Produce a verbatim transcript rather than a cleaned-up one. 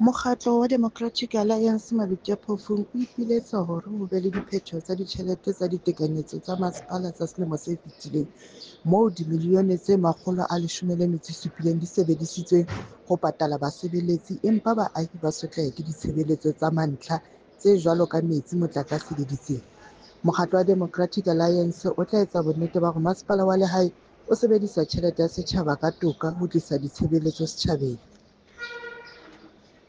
Mokgatlo wa Democratic Alliance Maluti-a-Phofung o ipiletsa hore ho be le diphetho tsa ditjhelete tsa ditekanyetso tsa masepala tsa selemo se fetileng moo dimilione tse makgolo a leshome le metso e supileng di sebedisitsweng ho patala basebeletsi empa baahi ba sotleha ke ditshebeletso tsa mantlha tse jwalo ka metsi, motlakase le ditsela. Mokgatlo wa Democratic Alliance o tla etsa bonnete ba hore masepala wa lehae o sebedisa tjhelete ya setjhaba ka toka ho tlisa ditshebeletso setjhabeng.